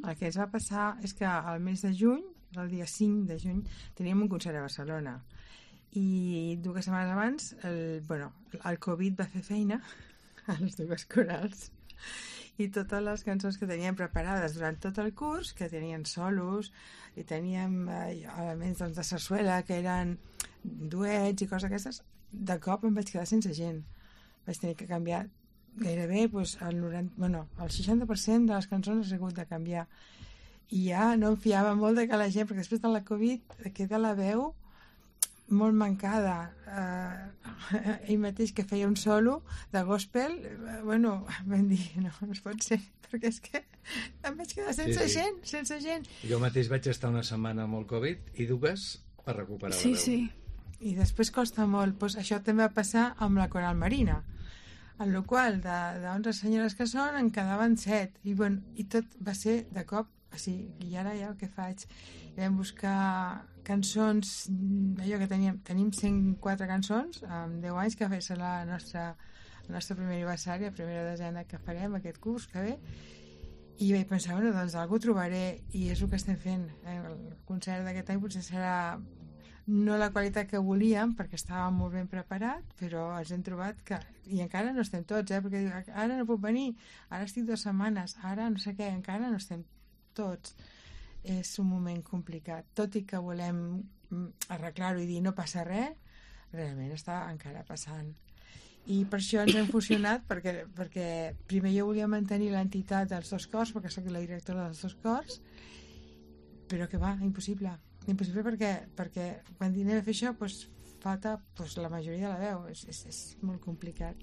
el que ens va passar és que al mes de juny, el dia 5 de juny, teníem un concert a Barcelona. I 2 setmanes abans el Covid va fer feina a les 2 corals i totes les cançons que teníem preparades durant tot el curs, que tenien solos i teníem elements de sarsuela que eren duets i coses aquestes, de cop em vaig quedar sense gent. Vaig tenir que canviar gairebé el 60% de les cançons he hagut de canviar i ja no em fiava molt de que la gent, perquè després de la Covid queda la veu molt mancada. Ell mateix que feia un solo de gospel, vam dir, no es pot ser, perquè és que em vaig quedar sense gent. Jo mateix vaig estar una setmana amb el Covid i 2 per recuperar la veu. Sí. I després costa molt. Pues això també va passar amb la Coral Marina, en la qual de 11 senyores que són en quedaven 7 i tot va ser de cop així. I ara ja el que faig? Vam buscar cançons, allò que tenim 104 cançons amb 10 anys, que va ser el nostre primer aniversari, la primera desena que farem aquest curs que ve, i vaig pensar, doncs algú trobaré, i és el que estem fent. El concert d'aquest any potser serà no la qualitat que volíem, perquè estava molt ben preparat, però ens hem trobat que, i encara no estem tots, perquè diu, ara no puc venir, ara estic 2 setmanes, ara no sé què, encara no estem tots. És un moment complicat, tot i que volem arreglar-ho i dir no passa res, realment està encara passant. I per això ens hem fusionat, perquè primer jo volia mantenir l'entitat dels 2 cors, perquè soc la directora dels 2 cors, però que va, impossible perquè quan anem a fer això falta la majoria de la veu, és molt complicat.